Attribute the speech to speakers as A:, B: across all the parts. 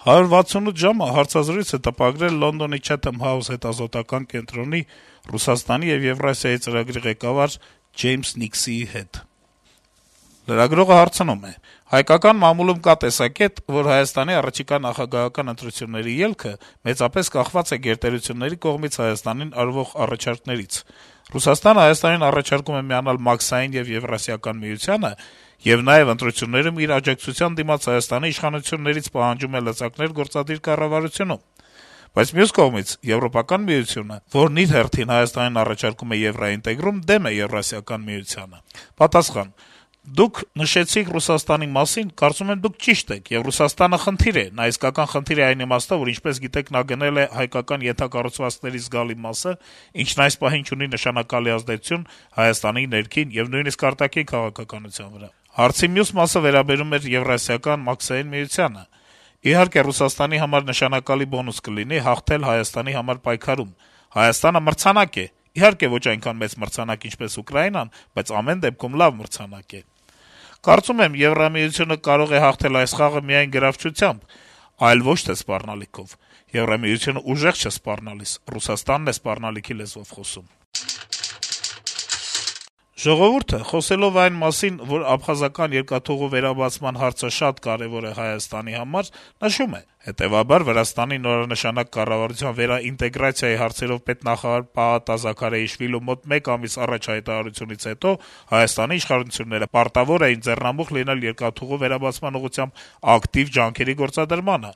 A: 168 ժամը հարցազրույց է տպագրել Լոնդոնի Chatham House հետազոտական կենտրոնի Ռուսաստանի եւ Եվրասիայի ծրագրի ղեկավար Ջեյմս Նիքսիի հետ: Լրագրողը հարցնում է. - «Հայկական մամուլում կա տեսակետ, որ Հայաստանի առաջիկա նախագահական ընտրությունների ելքը մեծապես կախված է գերտերությունների կողմից Հայաստանին արվող առաջարկներից: Ռուսաստանը Հայաստանին առաջարկում է միանալ Մաքսային եւ Եվրասիական միությանը եւ նաեւ ընտրություններում իր աջակցության դիմաց Հայաստանի իշխանություններից պահանջում է լծակներ գործադիր կառավարությունում: Բայց մյուս կողմից Եվրոպական միությունը, որն իր հերթին Հայաստանին առաջարկում է եվրաինտեգրում, դեմ է Եվրասիական միությանը»: Պատասխան. - «Դուք նշեցիք Ռուսաստանի մասին, կարծում եմ, դուք ճիշտ եք, եւ Ռուսաստանը խնդիր է: Նա իսկական խնդիր է այն իմաստով, որ ինչպես գիտեք, նա գնել է հայկական ենթակառուցվածքների զգալի մասը, ինչն այս պահին չունի նշանակալի ազդեցություն Հայաստանի ներքին եւ նույնիսկ արտաքին քաղաքականության վրա: Հարցի մյուս մասը վերաբերում էր Եվրասիական Մաքսային միությանը: Իհարկե, Ռուսաստանի համար նշանակալի բոնուս կլինի հաղթել Հայաստանի համար պայքարում: Հայաստանը մրցանակ է, իհարկե ոչ այնքան մեծ մրցանակ, ինչպես Ուկրաինան, բայց ամեն դեպքում լավ մրցանակ է: Կարծում եմ, Եվրամիությունը կարող է հաղթել այս խաղը միայն գրավչությամբ, այլ ոչ թե սպառնալիքով: Եվրամիությունը ուժեղ չէ սպառնալիս, Ռուսաստանն է սպառնալիքի լեզվով խոսում»: «Ժողովուրդ»-ը, խոսելով այն մասին, որ աբխազական երկաթուղու վերաբացման հարցը շատ կարեւոր է Հայաստանի համար, նշում է. - «Հետեւաբար, Վրաստանի նորանշանակ կառավարության վերաինտեգրացիայի հարցերով պետնախարար Պահատ Զաքարիաշվիլու մոտ մեկ ամիս առաջ հայտարարությունից հետո Հայաստանի իշխանությունները պարտավոր էին ձեռնամուխ լինել երկաթուղու վերաբացման ուղղությամբ ակտիվ ջանքերի գործադրմանը: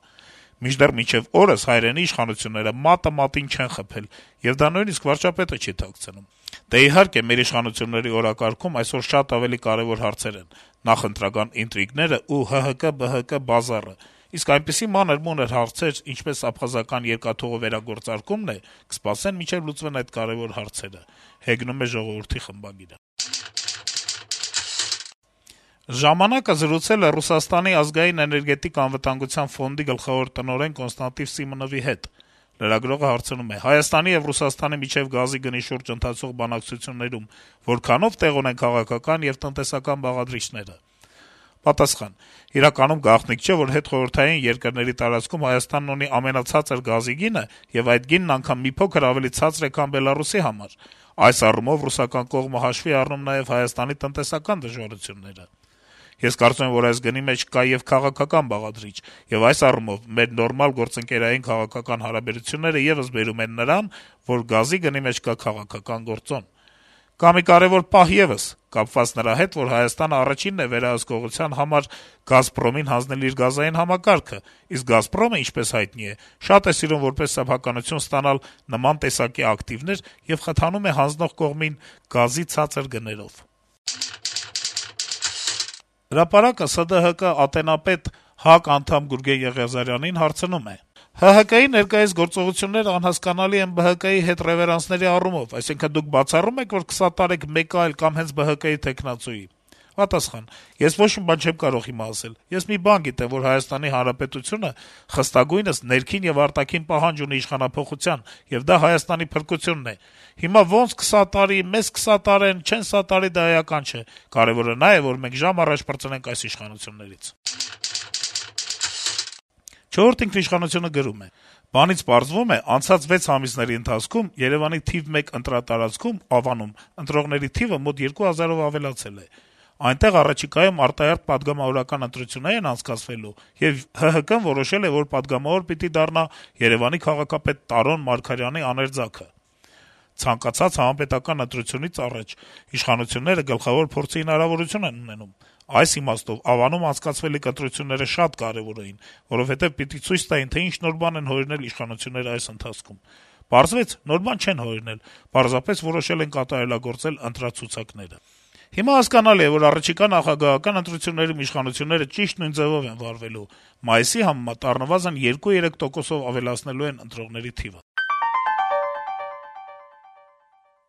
A: Մինչդեռ մինչեւ օրս հայրենի իշխանությունները մատը մատին չեն խփել, եւ դա նույնիսկ վարչապետը չի թաքցնում: Դե, իհարկե, մեր իշխանությունների օրակարգում այսօր շատ ավելի կարեւոր հարցեր են` նախընտրական ինտրիգները ու ՀՀԿ-ԲՀԿ բազարը: Իսկ այնպիսի մանր-մունր հարցեր, ինչպես աբխազական երկաթուղու վերագործարկումն է, կսպասեն, մինչեւ լուծվեն այդ կարեւոր հարցերը»: «Ժամանակ»-ը զրուցել է Ռուսաստանի ազգային էներգետիկ անվտանգության ֆոնդի գլխավոր տնօրեն Կոնստանտին Սիմոնովի հետ: Լրագրողը հարցնում է. - «Հայաստանի եւ Ռուսաստանի միջեւ գազի գնի շուրջ ընթացող բանակցություններում որքանո՞վ տեղ ունեն քաղաքական եւ տնտեսական բաղադրիչները»: Պատասխան. - «Իրականում գաղտնիք չէ, որ հետխորհրդային երկրների տարածքում Հայաստանն ունի ամենացածր գազի գինը, եւ այդ գինն անգամ մի փոքր ավելի ցածր է, քան Բելառուսի համար: Այս առումով ռուսական կողմը հաշվի է առնում նաեւ Հայաստանի տնտեսական դժվարությունները: Ես կարծում եմ, որ այս գնի մեջ կա եւ քաղաքական բաղադրիչ, եւ այս առումով մեր նորմալ գործընկերային քաղաքական հարաբերությունները եւս բերում են նրան, որ գազի գնի մեջ կա քաղաքական գործոն: Կա մի կարեւոր պահ եւս` կապված նրա հետ, որ Հայաստանը առաջինն է վերահսկողության համար «Գազպրոմին» հանձնել իր գազային համակարգը, իսկ «Գազպրոմը», ինչպես հայտնի է, շատ է սիրում որպես սեփականություն ստանալ նման տեսակի ակտիվներ եւ խթանում է հանձնող կողմին գազի ցածր գներով»: «Հրապարակ»-ը ՍԴՀԿ ատենապետ, ՀԱԿ անդամ Գուրգեն Եղիազարյանին հարցնում է. - «ՀՀԿ-ի ներկայիս գործողություններն անհասկանալի են ԲՀԿ-ի հետ ռեվերանսների առումով: Այսինքն` դուք բացառո՞ւմ եք, որ կսատարեք մեկը այլ կամ հենց ԲՀԿ-ի թեկնածուի»: Պատասխան. - «Ես ոչ մի բան չեմ կարող հիմա ասել: Ես մի բան գիտեմ, որ Հայաստանի Հանրապետությունը խստագույնս ներքին եւ արտաքին պահանջ ունի իշխանափոխության, եւ դա Հայաստանի փրկությունն է: Հիմա ոնց կսատարի, մեզ կսատարեն, չեն սատարի, դա էական չէ: Կարեւորը նա է, որ մենք ժամ առաջ պրծնենք այս իշխանություններից»: «Չորրորդ ինքնիշխանություն»-ը գրում է. - «Բանից պարզվում է, անցած 6 ամիսների ընթացքում Երեւանի թիվ 1 ընտրատարածքում` Ավանում, ընտրողների թիվը մոտ 2000-ով ավելացել է: Այնտեղ առաջիկայում արտահերթ պատգամավորական ընտրություններ են անցկացվելու, եւ ՀՀԿ-ն որոշել է, որ պատգամավոր պիտի դառնա Երեւանի քաղաքապետ Տարոն Մարգարյանի աներձակը: Ցանկացած համապետական ընտրությունից առաջ իշխանությունները գլխավոր փորձի հնարավորություն են ունենում: Այս իմաստով Ավանում անցկացվելիք ընտրությունները շատ կարեւոր էին, որովհետեւ պիտի ցույց տային, թե ինչ նոր բան են հորինել իշխանությունները այս ընթացքում: Պարզվեց` նոր բան չեն հորինել, պարզապես որոշել են կատարելագործել ընտրացուցակները: Հիմա հասկանալի է, որ առաջիկա նախագահական ընտրություններում իշխանությունները ճիշտ նույն ձեւով են վարվելու: Մայիսի համեմատ առնվազն 2-3 տոկոսով ավելացնելու են ընտրողների թիվը»: